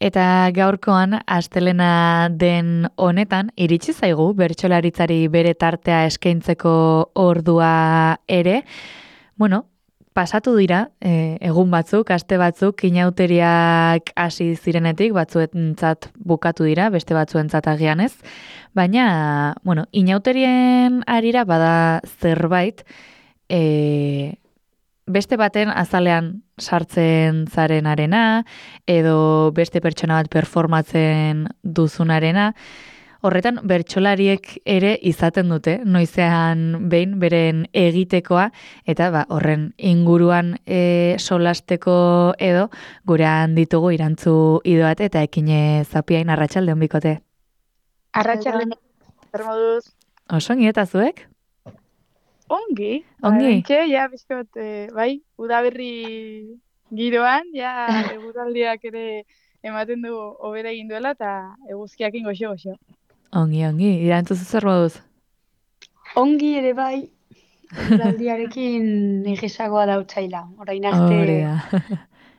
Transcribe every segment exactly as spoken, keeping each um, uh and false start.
Eta gaurkoan, astelena den honetan, iritsi zaigu bertsolaritzari bere tartea eskaintzeko ordua ere. Bueno, pasatu dira, e, egun batzuk, aste batzuk, inauteriak hasi zirenetik, batzuentzat bukatu dira, beste batzuentzat agian ez. Baina, bueno, inauterien arira bada zerbait, e, beste baten azalean sartzen zarenarena, edo beste pertsona bat performatzen duzunarena. Horretan, bertsolariek ere izaten dute, noizean behin beren egitekoa, eta ba, horren inguruan e, solasteko edo, gurean ditugu irantzu idoat eta ekine zapiain arratsaldeon bikote. Arratsaldeon, zer moduz? Osongi eta zuek? Ongi. Ongi? Oraintxe, ja, bizkot, eh, bai, udaberri giroan, ja, eguraldiak ere ematen du hobera egin duela, eta eguzkiakin goxo-goxo. Ongi, ongi, irantzu zer moduz? Ongi ere bai, eguraldiarekin egesagoa dautzaila. Orain arte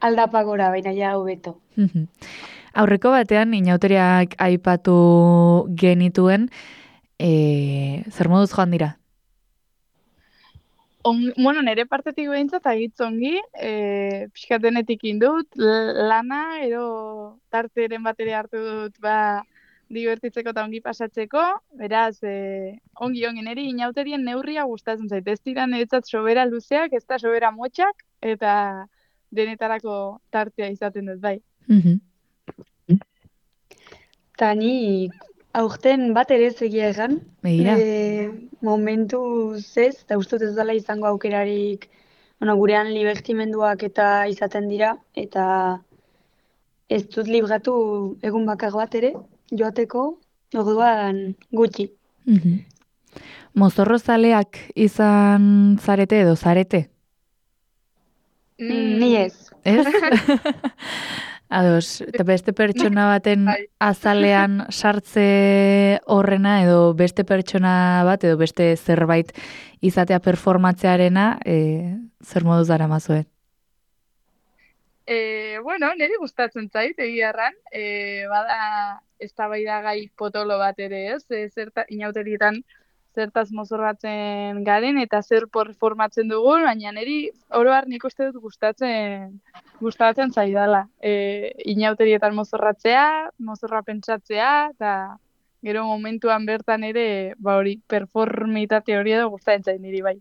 aldapagora, baina ja hobeto. Aurreko batean, inauteriak aipatu genituen, e, zer moduz joan dira? On, bueno, nire partetik behintzat agitz ongi, e, pixkatenetik indut, lana, ero tarteren batere hartu dut, ba, divertitzeko eta ongi pasatzeko, beraz, e, ongi ongi niri inauterien neurria gustatzen zait, ez dira niretzat sobera luzeak, ez da sobera motxak, eta denetarako tartea izaten dut, bai. Eta ni aurten bat ere egia egan, e, momentu zez, eta ustut ez dela izango aukerarik, bueno, gurean libertimenduak eta izaten dira, eta ez dut libratu egun bakar bat ere, joateko, orduan gutxi. Mozorrozaleak izan zarete edo zarete? Mm, ni ez. Ez? Ados, eta beste pertsona baten azalean sartze horrena edo beste pertsona bat edo beste zerbait izatea performatzearena, e, zer moduz dara mazue? E, bueno, niri gustatzen zait, egia erran, e, bada eztabaidagai potolo bat ere ez, e, zerta, inauterietan zertaz mozorratzen garen eta zer performatzen dugun, baina niri oroar nik uste dut gustatzen gustatzen zaidala. E, inauterietan mozorratzea, mozorra pentsatzea, eta gero momentuan bertan ere, ba hori, performitate hori edo gustatzen zaid niri bai.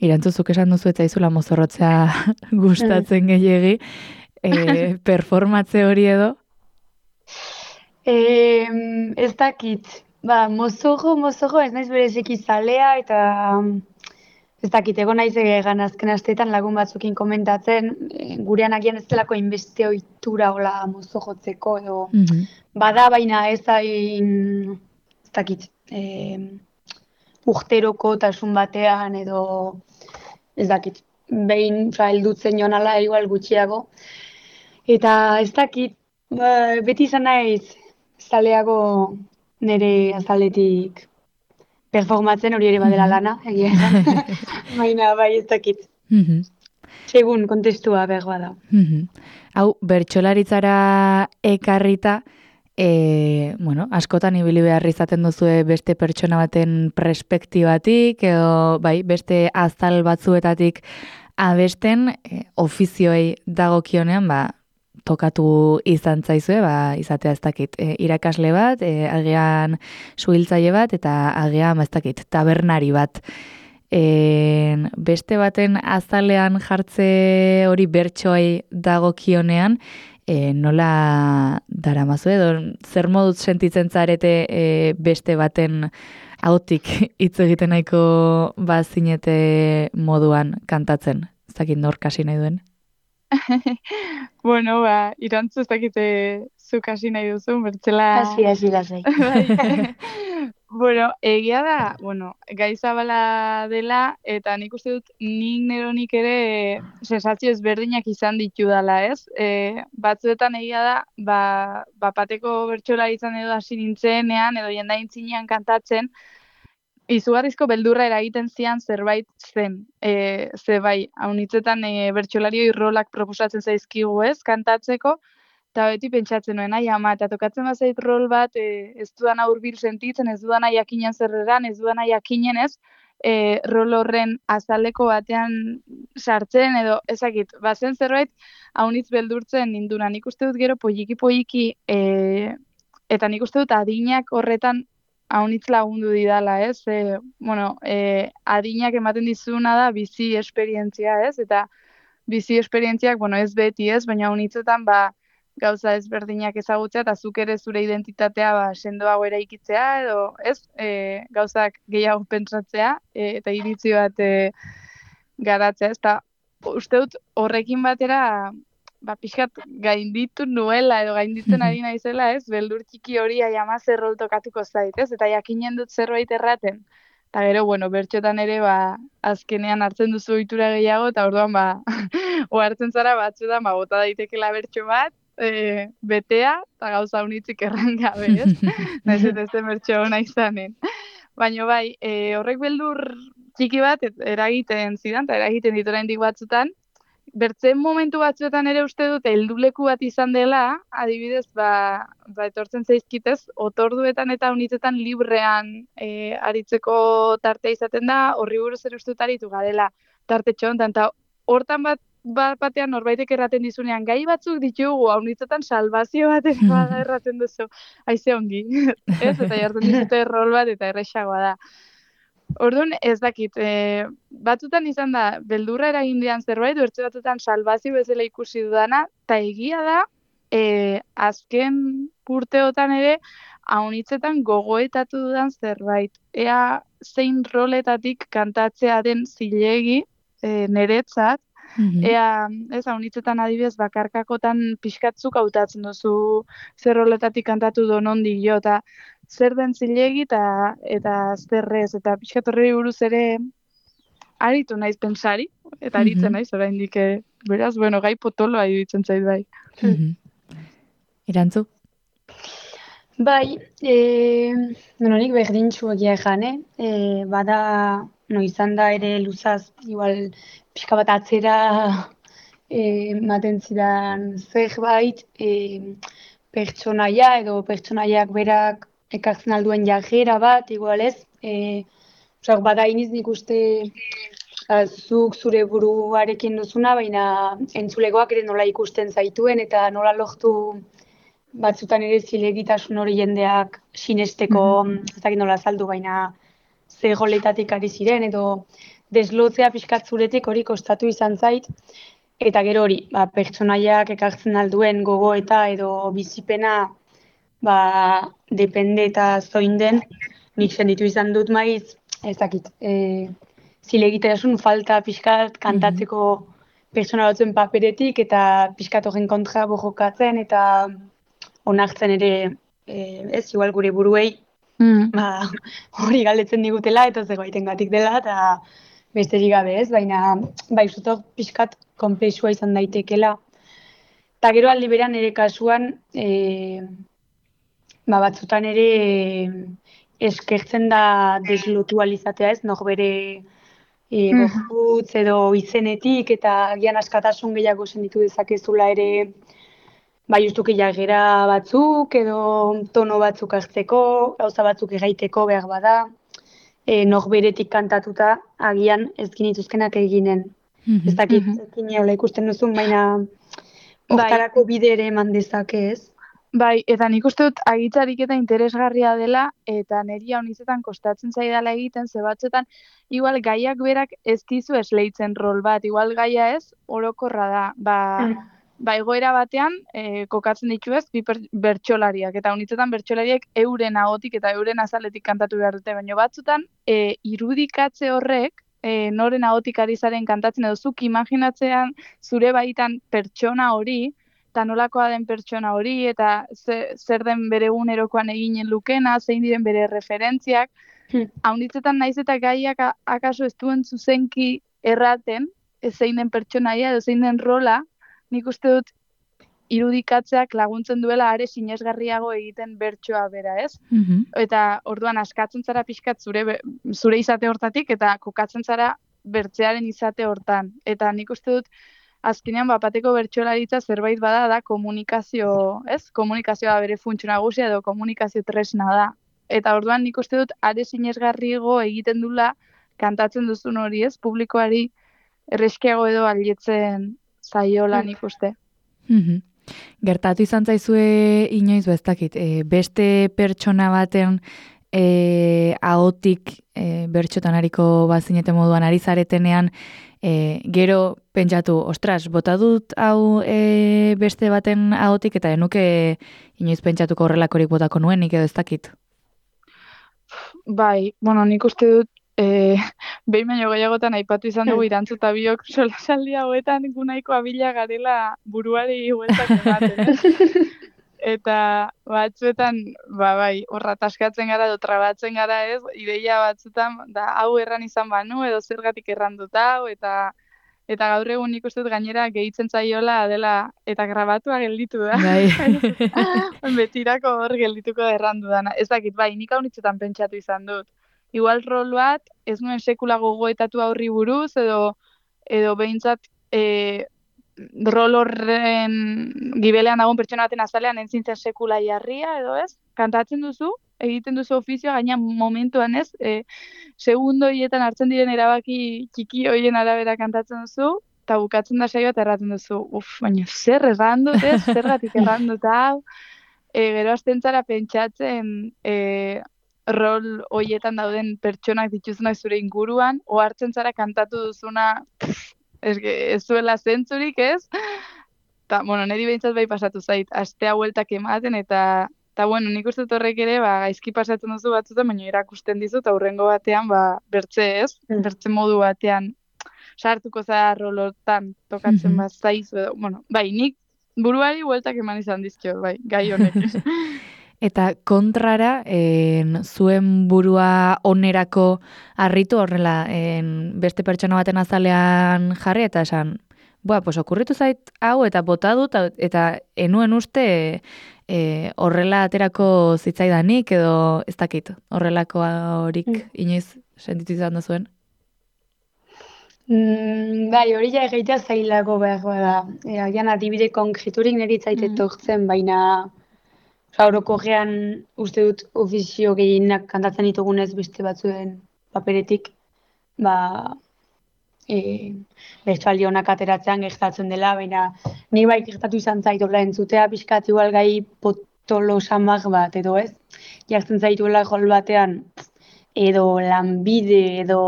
Irantzuzuk esan duzu eta izula mozorrotzea gustatzen gehiegi, e, performatze hori edo? E, ez dakit, ba, mozorro, mozorro, ez naiz bereziki zalea, eta ez dakit, egon naiz egan azken asteetan lagun batzukin komentatzen, e, gurean agian ez delako inbeste ohitura hola mozorrotzeko, edo bada, baina ez hain, ez dakit, e, urteroko tasun batean edo ez dakit, behin heldutzen joan ala igual gutxiago. Eta ez dakit, ba, beti izan naiz zaleago nire azaletik performatzen hori ere badela lana, egia esan. Baina bai ez dakit. Segun kontestua behar bada. Hau, bertsolaritzara ekarrita, E, bueno, askotan ibili behar izaten duzue beste pertsona baten perspektibatik edo bai, beste azal batzuetatik abesten e, ofizioei dagokionean ba, tokatu izan zaizue, ba, izatea ez dakit e, irakasle bat, e, agian suhiltzaile bat eta agian ez dakit tabernari bat. E, beste baten azalean jartze hori bertsoei dagokionean, E, nola daramazu edo zer moduz sentitzen zarete e, beste baten ahotik hitz egiten nahiko bazinete moduan kantatzen? Ez dakit nor kasi nahi duen? Bueno, ba, irantzu ez dakite zuk hasi nahi duzu, bertzela... Hasi, hasi, lasai. Bueno, egia da, bueno, gai zabala dela, eta nik uste dut nik neronik ere sensazio ezberdinak izan ditu dela, ez? E, batzuetan egia da, ba, bapateko bertsolari izan edo hasi nintzenean, edo jendain zinean kantatzen, izugarrizko beldurra eragiten zian zerbait zen. E, ze bai, haunitzetan e, bertsolarioi rolak proposatzen zaizkigu ez, kantatzeko, eta beti pentsatzen nuen, ai ama, eta tokatzen bazait rol bat, e, ez dudana hurbil sentitzen, ez dudana jakinen zerreran, ez dudana jakinen ez, e, rol horren azaleko batean sartzen, edo ezakit, bazen zerbait, haunitz beldurtzen ninduna. Nik uste dut gero poliki-poliki, e, eta nik uste dut adinak horretan haunitz lagundu didala, ez? E, bueno, e, adinak ematen dizuna da bizi esperientzia, ez? Eta bizi esperientziak, bueno, ez beti, ez? Baina haunitzetan, ba, gauza ezberdinak ezagutzea, eta zuk ere zure identitatea ba, sendoago eraikitzea, edo, ez? E, gauzak gehiago pentsatzea, e, eta iritzi bat e, garatzea, ez? Eta uste dut horrekin batera, ba, pixkat gainditu nuela, edo gainditzen ari naizela, ez? Beldur txiki hori aiama zer rol tokatuko zait, ez? Eta jakinen dut zerbait erraten. Eta gero, bueno, bertxotan ere, ba, azkenean hartzen duzu ohitura gehiago, eta orduan, ba, ohartzen zara batzuetan, ba, bota daitekela bertxo bat, e, betea, eta gauza unitzik erran gabe, ez? Naiz ez den bertxo ona izanen. Baina bai, e, horrek beldur txiki bat et, eragiten zidan, eta eragiten ditu oraindik batzutan, bertzen momentu batzuetan ere uste dut helduleku bat izan dela, adibidez, ba, ba etortzen zaizkitez, otorduetan eta unitzetan librean e, aritzeko tartea izaten da, horri buruz ere uste dut aritu garela tarte txontan, eta hortan bat, bat batean norbaitek erraten dizunean, gai batzuk ditugu, unitzetan salvazio bat ere bada erraten duzu, haize ongi, ez? Eta jartzen dizute rol bat eta erresagoa da. Orduan, ez dakit, e, batzutan izan da, beldurra eragin dian zerbait, bertze batzutan salbazio bezala ikusi dudana, eta egia da, e, azken urteotan ere, haunitzetan gogoetatu dudan zerbait. Ea zein roletatik kantatzea den zilegi e, niretzat, Mhm. ea, ez, haunitzetan adibidez, bakarkakotan pixkatzuk hautatzen duzu zer roletatik kantatu donondik jo, eta zer den zilegi eta eta zerrez, eta pixkat horri buruz ere aritu naiz pensari, eta aritzen Mhm. naiz oraindik, eh, beraz, bueno, gai potoloa iruditzen zait bai. Mhm. Irantzu? Bai, e, bueno, nik berdintxu egia ejan, eh? E, bada, no, izan da ere luzaz, igual, pixka bat atzera e, ematen zidan zerbait, e, pertsonaia edo pertsonaiak berak ekartzen alduen jarrera bat, igual ez, e, osak, bada iniz nik uste a, zuk zure buruarekin duzuna, baina entzulegoak ere nola ikusten zaituen eta nola lortu batzutan ere zilegitasun hori jendeak sinesteko, ez dakit nola azaldu, baina ze goletatik ari ziren, edo deslotzea pixkat zuretik hori kostatu izan zait, eta gero hori, ba, pertsonaiak ekartzen alduen gogoeta edo bizipena, ba, depende eta zoin den, nik senditu izan dut maiz, ez dakit, e, zilegitasun falta pixkat kantatzeko pertsona batzuen paperetik, eta pixkat horren kontra borrokatzen, eta onartzen ere, e, ez, igual gure buruei, Mm. ba, hori galdetzen digutela, eta zerbaitengatik dela, eta besterik gabe ez, baina bai, zutok pixkat konplexua izan daitekela. Eta gero aldi beran ere kasuan, e, ba, batzutan ere e, eskertzen da deslotu alizatea ez, nor bere e, gorputz edo izenetik, eta agian askatasun gehiago senditu dezakezula ere, bai, justuki jarrera batzuk edo tono batzuk hartzeko, gauza batzuk egaiteko behar bada, e, norberetik kantatuta agian ez ginituzkenak eginen. Mhm. Ez dakit, ekin hola ikusten duzun, baina hortarako bide ere eman dezake, ez? Bai, eta nik uste dut agitzarik eta interesgarria dela, eta niri haunizetan kostatzen zaidala egiten, ze batzuetan, igual gaiak berak ez dizu esleitzen rol bat, igual gaia ez, orokorra da, ba, ba egoera batean, e, kokatzen ditu ez, bi per- bertsolariak, eta haunitzetan bertsolariak euren ahotik eta euren azaletik kantatu behar dute, baina batzutan, e, irudikatze horrek, e, noren ahotik ari zaren kantatzen, edo zuk imaginatzean zure baitan pertsona hori, eta nolakoa den pertsona hori, eta ze, zer den bere egunerokoan eginen lukena, zein diren bere referentziak, haunditzetan naiz eta gaiak a- akaso ez duen zuzenki erraten, ez zein den pertsonaia edo zein den rola, nik uste dut irudikatzeak laguntzen duela are sinesgarriago egiten bertsoa bera, ez? Mhm. Eta orduan askatzen zara pixkat zure, be- zure izate hortatik, eta kokatzen zara bertzearen izate hortan. Eta nik uste dut, azkenean bapateko bertsolaritza zerbait bada da komunikazio, ez? Komunikazioa bere funtsio nagusia edo komunikazio tresna da. Eta orduan nik uste dut are sinesgarriago egiten dula kantatzen duzun hori, ez? Publikoari erreskiago edo alietzen zaiola nik uste. Mhm. Gertatu izan zaizue inoiz beztakit, e, beste pertsona baten e, ahotik e, bertxotan ariko bazinete moduan ari zaretenean, e, gero pentsatu, ostras, bota dut hau e, beste baten ahotik eta enuke inoiz pentsatuko horrelakorik botako nuenik edo ez dakit. Bai, bueno, nik uste dut E, behin baino gehiagotan aipatu izan dugu irantzuta biok solasaldi hauetan gu nahiko abila garela buruari hueltak ematen, ez? Eta batzuetan, ba bai, horra taskatzen gara edo trabatzen gara, ez? Ideia batzuetan, da hau erran izan banu edo zergatik erran dut hau, eta eta gaur egun nik uste dut gainera gehitzen zaiola dela eta grabatua gelditu da. Bai. Betirako hor geldituko da erran dudana. Ez dakit, bai, nik hau nitzetan pentsatu izan dut. Igual rol bat, ez nuen sekula gogoetatu aurri buruz, edo edo behintzat e, rol horren gibelean dagoen pertsona baten azalean entzintzen sekula jarria, edo ez? Kantatzen duzu, egiten duzu ofizioa, gaina momentuan ez, e, segundo hietan hartzen diren erabaki txiki hoien arabera kantatzen duzu, eta bukatzen da saioa eta erraten duzu, uf, baina zer erran dut, ez? Zergatik erran dut hau, e, gero azten zara pentsatzen, e, rol hoietan dauden pertsonak dituzunak zure inguruan, ohartzen zara kantatu duzuna ez, ez zuela zentzurik, ez? Ta, bueno, niri behintzat bai pasatu zait, astea hueltak ematen, eta, eta bueno, nik uste horrek ere, ba, gaizki pasatzen duzu batzutan, baina erakusten dizu, eta hurrengo batean, ba, bertze, ez? Bertze modu batean, sartuko zara rolotan tokatzen mm-hmm. bat zaizu, edo, bueno, bai, nik buruari hueltak eman izan dizkio, bai, gai honek. Eta kontrara, en, zuen burua onerako harritu horrela en, beste pertsona baten azalean jarri eta esan, boa, pues okurritu zait hau eta bota dut eta enuen uste e, horrela aterako zitzaidanik edo ez dakit, horrelako horik mm. inoiz sentitu izan da zuen? Mm, bai, hori ja egitea zailako behar bada. E, Agian adibide konkreturik niri zaite mm. tortzen, baina Orokorrean uste dut ofizio gehienak kantatzen ditugunez beste batzuen paperetik, ba, e, bertsoaldi honak ateratzean gertatzen dela, baina ni bai gertatu izan zait horrela entzutea pixkat igual gai potolo samar bat, edo ez? Jartzen zaituela rol batean, edo lanbide, edo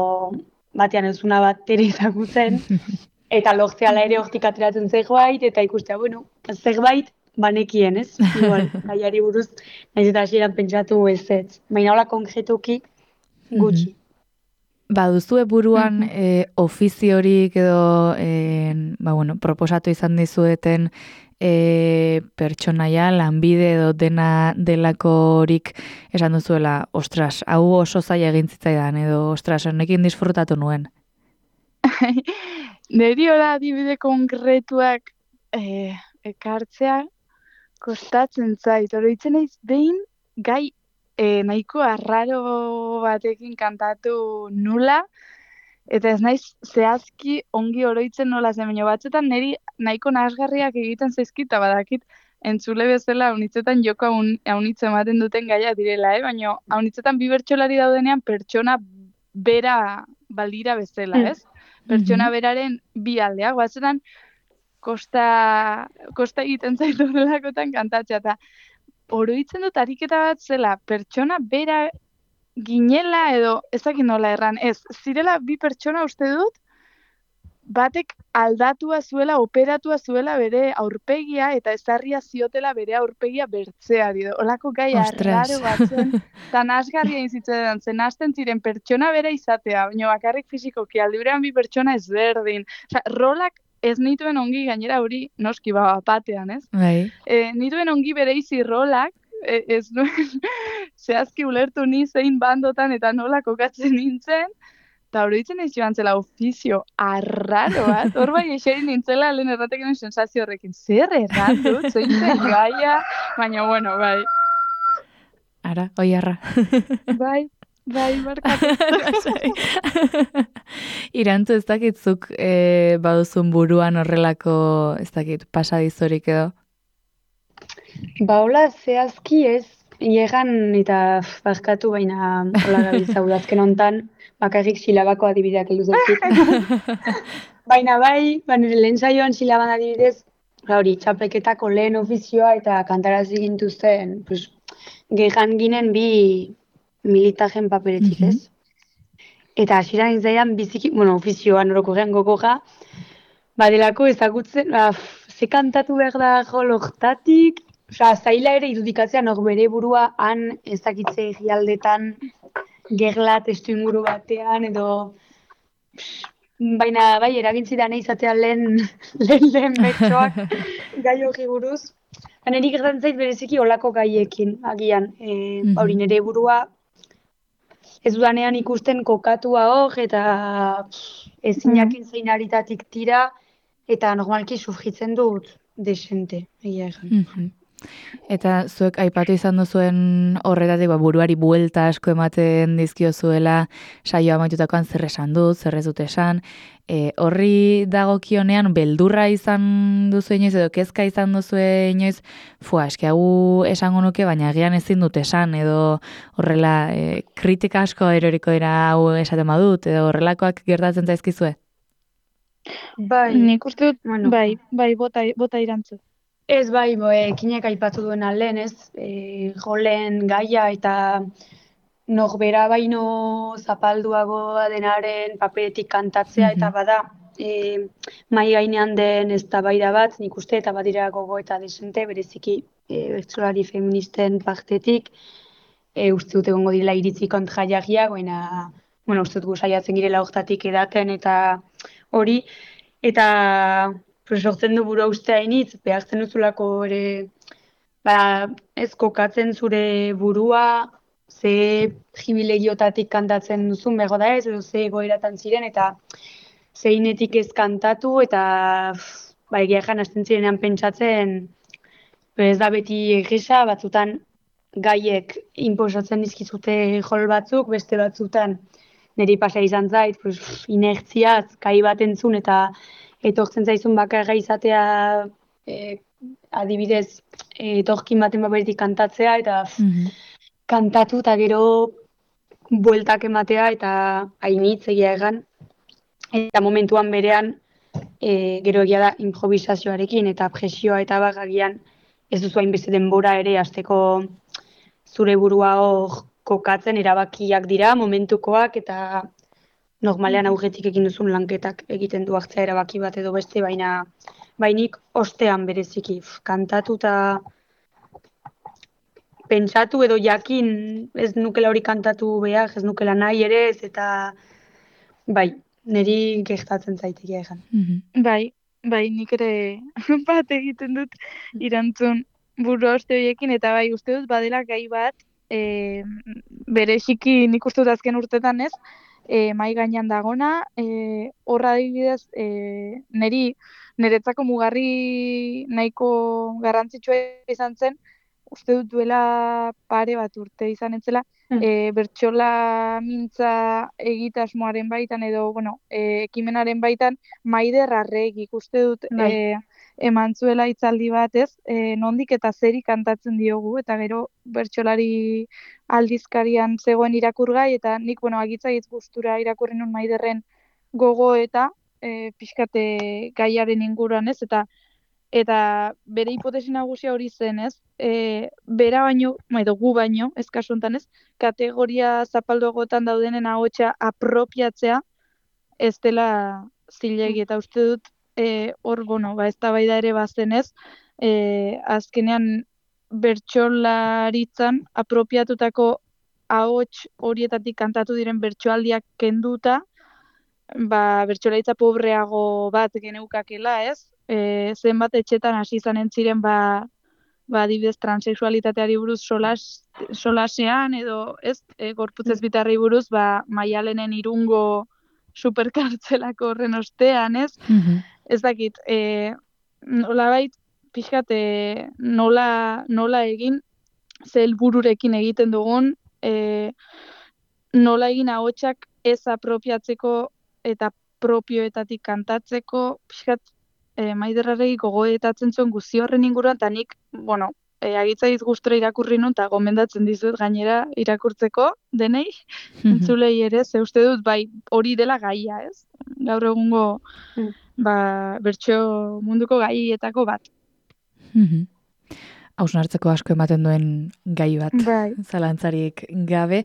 batean ez una bat ere ezagutzen, eta lortzeala ere hortik ateratzen zerbait, eta ikustea, bueno, zerbait, banekien, ez? Igual, gaiari buruz, nahiz eta hasieran pentsatu ez ez. Baina hola konkretuki gutxi. Ba, duzue buruan mm-hmm. e, ofiziorik edo e, ba, bueno, proposatu izan dizueten e, pertsonaia, lanbide edo dena delakorik esan duzuela, ostras, hau oso zaila egin zitzaidan, edo ostras, honekin disfrutatu nuen. Neri hola adibide konkretuak e, ekartzea, kostatzen zait, oroitzen naiz behin gai e, nahiko arraro batekin kantatu nula, eta ez naiz zehazki ongi oroitzen nola zen, baina batzuetan niri nahiko nahasgarriak egiten zaizkita badakit entzule bezala haunitzetan joko haunitze ematen duten gaia direla, eh? Baina haunitzetan bi bertsolari daudenean pertsona bera balira bezala, ez? Pertsona beraren bi aldeak, batzuetan Kosta, kosta egiten zaitu delakotan kantatzea, eta oroitzen dut ariketa bat zela, pertsona bera ginela edo ezakit nola erran, ez, zirela bi pertsona uste dut, batek aldatua zuela, operatua zuela bere aurpegia, eta ezarria ziotela bere aurpegia bertzeari, olako gai arraro batzen, eta nasgarria inzitzen zen, hasten ziren pertsona bera izatea, baina bakarrik fizikoki, aldiberean bi pertsona ezberdin, oza, rolak ez nituen ongi gainera hori noski ba batean, ez? Bai. E, nituen ongi bereizi rolak, e, ez nuen zehazki ulertu ni zein bandotan eta nola kokatzen nintzen, eta hori ditzen ez joan zela ofizio arraro bat, hor bai eserin nintzela lehen erratekin sensazio horrekin, zer erran dut, zein zen gaia, baina bueno, bai. Ara, oi arra. Bai. Bai, barkatu. Irantzu ez dakitzuk e, baduzun buruan horrelako, ez dakit, pasadizorik edo? Ba, hola, zehazki ez, iegan eta pff, barkatu baina hola gabiltza udazken hontan, bakarrik silabako adibideak heldu zaizkit. Baina bai, ba, nire lehen saioan silaban adibidez, ba, hori, txapelketako lehen ofizioa eta kantarazi gintuzten, pues, gehan ginen bi militajen paperetik, Mhm. ez? Eta hasieran izaidan biziki, bueno, ofizioan orokorrean gogoja, badelako ezagutzen, ba, pff, ze kantatu behar da joloktatik, osea, zaila ere irudikatzea nok bere burua han ezakitze egialdetan, gerla testu inguru batean, edo baina bai, eragin zidan izatea lehen, lehen, lehen bertsoak gai hori buruz. Ba, niri gertatzen zait bereziki olako gaiekin, agian. E, ba, hori Mhm. nire burua ez dudanean ikusten kokatua hor, eta pff, ezin Mm. jakin zein aritatik tira, eta normalki sufritzen dut desente, egia egan. Mhm. Eta zuek aipatu izan duzuen horretatik ba, buruari buelta asko ematen dizkiozuela saioa amaitutakoan zer esan dut, zer ez dut esan. E, horri dagokionean beldurra izan duzu inoiz edo kezka izan duzu inoiz, fua, eske hau esango nuke, baina agian ezin dut esan edo horrela e, kritika asko eroriko dira hau esaten badut edo horrelakoak gertatzen zaizkizue. Bai, Nik uste dut, bueno, bai, bai, bota, bota irantzu. ez bai, bo, ekinek aipatu duen lehen, ez? E, jolen gaia eta norbera baino zapalduagoa denaren paperetik kantatzea, eta Mhm. bada, e, mai gainean den eztabaida bat, nik uste, eta badira gogo eta desente, bereziki e, bertsolari feministen partetik, e, uste dut egongo dira iritzi kontrajariak, baina, bueno, uste dut gu saiatzen girela hortatik edaten, eta hori, eta pues, sortzen du burua uste hainitz, behartzen duzulako ere, ba, ez kokatzen zure burua, ze jibilegiotatik kantatzen duzun bego da ez, edo ze egoeratan ziren, eta zeinetik ez kantatu, eta pff, ba, egia jan hasten zirenean pentsatzen, ez da beti egisa, batzutan gaiek inposatzen dizkizute jol batzuk, beste batzutan niri pasa izan zait, pues, inertziaz, kai bat entzun eta etortzen zaizun bakarra izatea e, adibidez e, etorkin baten paperetik kantatzea eta pff, Mhm. kantatu eta gero bueltak ematea eta hainitz egia egan. Eta momentuan berean e, gero egia da improvisazioarekin eta presioa eta bagagian ez duzu hainbeste denbora ere hasteko zure burua hor kokatzen erabakiak dira momentukoak eta normalean aurretik egin duzun lanketak egiten du hartzea erabaki bat edo beste, baina bainik ostean bereziki pf, kantatu eta pentsatu edo jakin ez nukela hori kantatu behar, ez nukela nahi ere ez eta bai, niri gertatzen zaitegia egan. Mhm. Bai, bai, nik ere bat egiten dut irantzun burua uste horiekin, eta bai, uste dut badela gai bat, e, bereziki nik uste dut azken urtetan ez, e, mai gainean dagona, e, horra adibidez, e, neri, niretzako mugarri nahiko garrantzitsua izan zen, uste dut duela pare bat urte izan entzela, Mm. e, bertsola mintza egitasmoaren baitan edo, bueno, e, ekimenaren baitan, Maider Arregik uste dut Bai. e, eman zuela hitzaldi bat ez, e, nondik eta zeri kantatzen diogu, eta gero bertsolari aldizkarian zegoen irakurgai, eta nik, bueno, agitzaiz gustura irakurri nun Maiderren gogo eta e, pixkate gaiaren inguruan ez, eta eta bere hipotesi nagusia hori zen, ez? E, bera baino, edo gu baino, ez kasu honetan, ez? Kategoria zapalduagotan daudenen ahotsa apropiatzea ez dela zilegi, eta uste dut e, hor, bueno, ba, eztabaida ere bazen, ez? E, azkenean bertsolaritzan apropiatutako ahots horietatik kantatu diren bertsoaldiak kenduta, ba, bertsolaritza pobreago bat geneukakela, ez? E, zenbat etxetan hasi izanen ziren, ba, ba, adibidez, transexualitateari buruz solas, solasean, edo, ez, e, gorputz ezbitarrei buruz, ba, Maialenen Irungo superkartzelako horren ostean, ez? Mhm. Ez dakit, e, nolabait, pixkat, e, nola, nola egin, ze helbururekin egiten dugun, e, nola egin ahotsak ez apropiatzeko eta propioetatik kantatzeko, pixkat, e, Maiderraregi gogoetatzen zuen guzti horren inguruan, eta nik, bueno, e, agitzaiz gustura irakurri nun, eta gomendatzen dizut gainera irakurtzeko denei, entzulei ere, ze uste dut, bai, hori dela gaia, ez? Gaur egungo, Mm. ba, bertso munduko gaietako bat. Hausnartzeko asko ematen duen gai bat, Bai. zalantzarik gabe.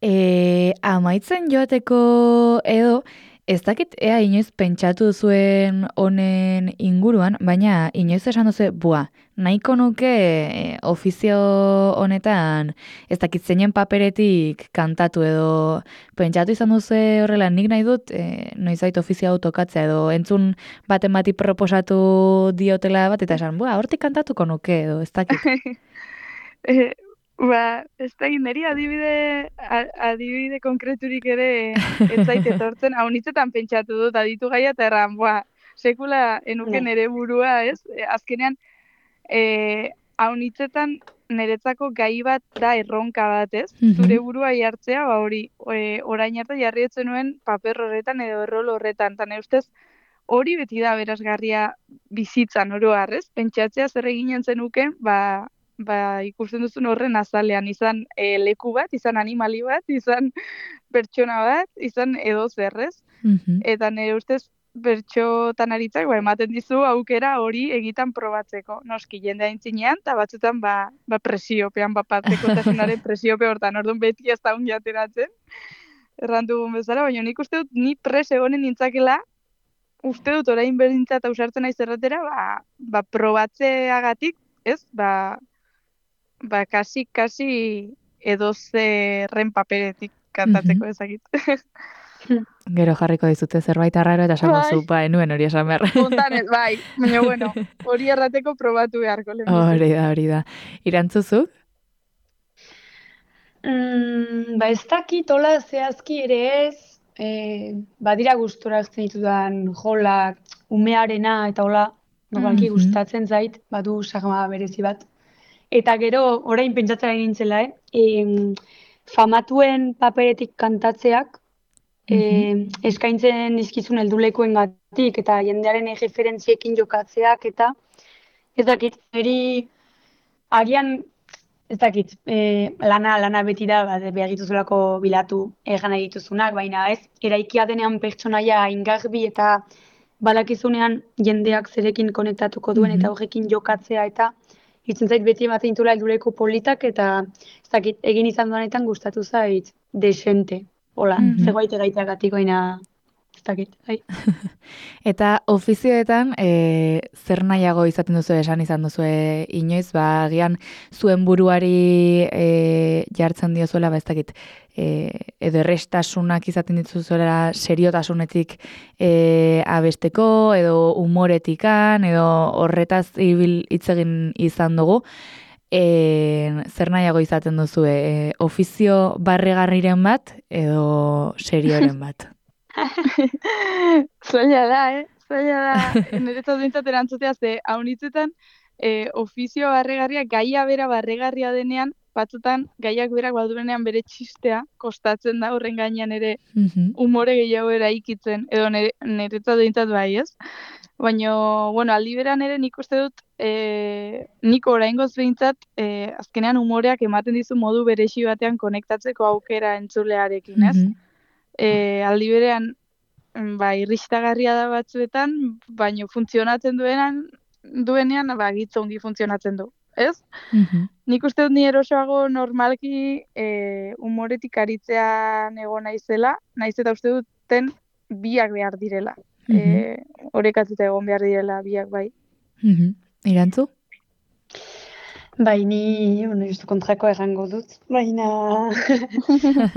E, amaitzen joateko edo, ez dakit ea inoiz pentsatu zuen honen inguruan, baina inoiz esan duzu, bua, nahiko nuke e, ofizio honetan ez dakit zeinen paperetik kantatu edo pentsatu izan duzu horrela nik nahi dut e, noizbait ofizio hau tokatzea edo entzun baten bati proposatu diotela bat eta esan, bua, hortik kantatuko nuke edo ez dakit. e, Ba, ez da niri adibide, adibide konkreturik ere ez zait etortzen, hau nitzetan pentsatu dut, aditu gaia eta erran, ba, sekula enuken Ne. ere burua, ez? E, azkenean, e, hau nitzetan niretzako gai bat da erronka bat, ez? Mhm. Zure burua jartzea, ba hori, e, orain arte jarri etzen nuen paper horretan edo errol horretan, eta nire ustez, hori beti da berazgarria bizitzan oro har, ez? Pentsatzea zer eginen zenuken, ba, ba, ikusten duzun horren azalean, izan e, leku bat, izan animali bat, izan pertsona bat, izan edo zerrez. Mhm. Eta nire ustez bertxotan aritzak, ba, ematen dizu aukera hori egitan probatzeko. Noski, jende aintzinean, eta batzutan ba, ba presiopean, ba, patekotasunaren presiope hortan, orduan beti ez da ungi ateratzen, errandugun bezala, baina nik uste dut ni pres egonen nintzakela, uste dut orain berdintzat ausartzen naiz erratera, ba, ba probatzeagatik, ez, ba, ba, kasi, kasi edo zerren paperetik kantatzeko ezagit. Gero jarriko dizute zerbait arraro eta esango Bai. zu, ba, enuen hori esan behar. Fontanez, bai, baina bueno, hori errateko probatu beharko lehen. Hori da, hori da. Irantzuzuk? Mm, ba ez dakit hola zehazki ere ez, e, badira gustora hartzen ditudan jolak, umearena eta hola, normalki Mhm. gustatzen zait, badu sagma berezi bat. Eta gero, orain pentsatzen ari nintzela, eh? Em, famatuen paperetik kantatzeak, eh, eskaintzen dizkizun heldulekuengatik eta jendearen erreferentziekin jokatzeak eta ez dakit, niri agian ez dakit, eh, lana lana beti da, ba, behar dituzulako bilatu egan nahi dituzunak, baina ez, eraikia denean pertsonaia ingarbi eta badakizunean jendeak zerekin konektatuko duen Mhm. eta horrekin jokatzea eta itzen zait beti ematen ditula helduleko politak eta ez dakit, egin izan duanetan gustatu zait desente. Hola, Mhm. zegoite gaiteagatik baina ez dakit, bai. Eta ofizioetan, e, zer nahiago izaten duzu esan izan duzu inoiz, ba, agian zuen buruari e, jartzen diozuela, ba, ez dakit, e, edo errestasunak izaten dituzuela seriotasunetik e, abesteko, edo umoretikan, edo horretaz ibil hitz egin izan dugu, e, zer nahiago izaten duzu, e, ofizio barregarriren bat, edo serioren bat? Zaila da, eh? Zaila da, niretzat bintzat erantzutea, ze haunitzetan e, ofizio barregarria, gaia bera barregarria denean, batzutan gaiak berak badurenean bere txistea, kostatzen da horren gainean ere Mhm. umore gehiago eraikitzen, edo nire, niretzat bintzat bai, ez? Baina, bueno, aldi beran ere nik uste dut, e, nik oraingoz behintzat, e, azkenean umoreak ematen dizu modu beresi batean konektatzeko aukera entzulearekin, ez? Mhm. E, aldi berean, ba, irristagarria da batzuetan, baino funtzionatzen duenan, duenean, ba, gitz ongi funtzionatzen du, ez? Mhm. Nik uste dut ni erosoago normalki e, umoretik aritzean egon naizela, naiz eta uste duten biak behar direla. Mhm. E, orekatuta egon behar direla biak bai. Mhm. Irantzu? Bai, ni, bueno, justu kontrako errango dut, baina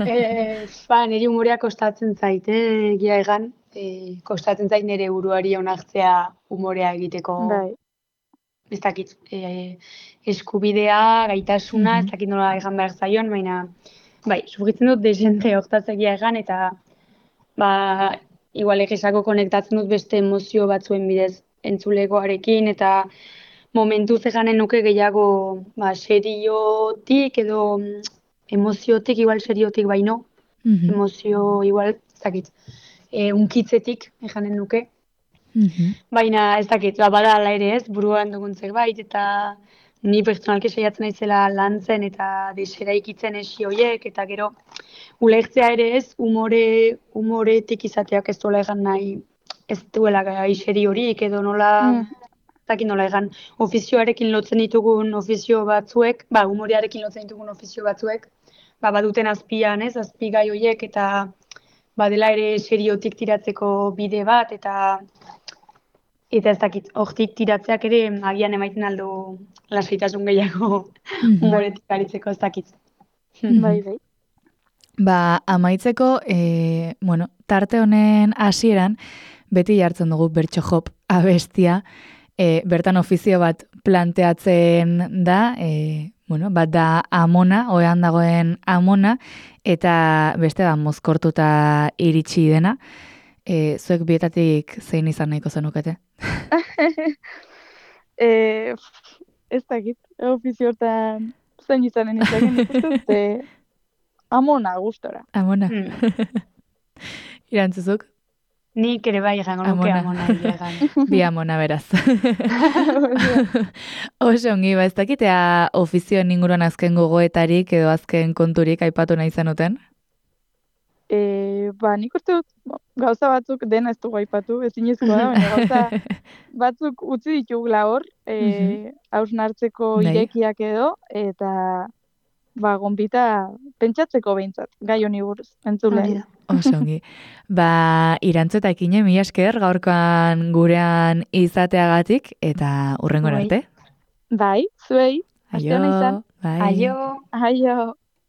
e, ba, niri umorea kostatzen zait, eh, egia egan, e, kostatzen zait nire buruari onartzea umorea egiteko, Bai. ez dakit, e, eskubidea, gaitasuna, ez Mhm. dakit nola egan behar zaion, baina, bai, sufritzen dut desente hortaz egia egan, eta, ba, igual egisako konektatzen dut beste emozio batzuen bidez entzulegoarekin, eta momentu zeganen nuke gehiago ba, seriotik edo mm, emoziotik, igual seriotik baino, Mhm. emozio, igual, ez dakit, e, unkitzetik, ejanen nuke. Mhm. Baina ez dakit, ba, bada ala ere ez, buruan dugun zerbait, eta ni pertsonalki saiatzen naizela lantzen eta deseraikitzen esi hoiek, eta gero ulertzea ere ez, umore, umoretik izateak ez duela egan nahi, ez duela gaixeri horik, edo nola, Mm. ez dakit nola egan, ofizioarekin lotzen ditugun ofizio batzuek, ba, umorearekin lotzen ditugun ofizio batzuek, ba, baduten azpian, ez, azpigai hoiek, eta badela ere seriotik tiratzeko bide bat, eta eta ez dakit, hortik tiratzeak ere agian emaiten aldo lasaitasun gehiago Mhm. umoretik aritzeko, ez dakit. Bai, bai. Ba, amaitzeko, e, bueno, tarte honen hasieran beti jartzen dugu bertso jop abestia, e, bertan ofizio bat planteatzen da, e, bueno, bat da amona, oean dagoen amona, eta beste da mozkortuta iritsi dena. E, zuek bietatik zein izan nahiko zenukete? e, ez dakit, ofizio hortan zein izanen izanen ikustut, e, amona gustora. Amona. Hmm. Irantzuzuk? Nik ere bai egango nuke Amona. amona egia egan. Bi amona beraz. Oso ongi, ba ez dakitea ofizioen inguruan azken gogoetarik edo azken konturik aipatu nahi zenuten? E, ba, nik uste dut, bo, gauza batzuk dena ez dugu aipatu, ezinezkoa da, baina gauza batzuk utzi ditugula hor, e, hausnartzeko Bai. irekiak edo, eta ba, gonbita pentsatzeko behintzat, gai honi buruz, Hori entzuleari. da. Oso ongi. Ba, Irantzu eta Ekine, mila esker gaurkoan gurean izateagatik eta hurrengora Bai. arte. Bai, zuei, aste ona izan. Bai. Aio! Aio.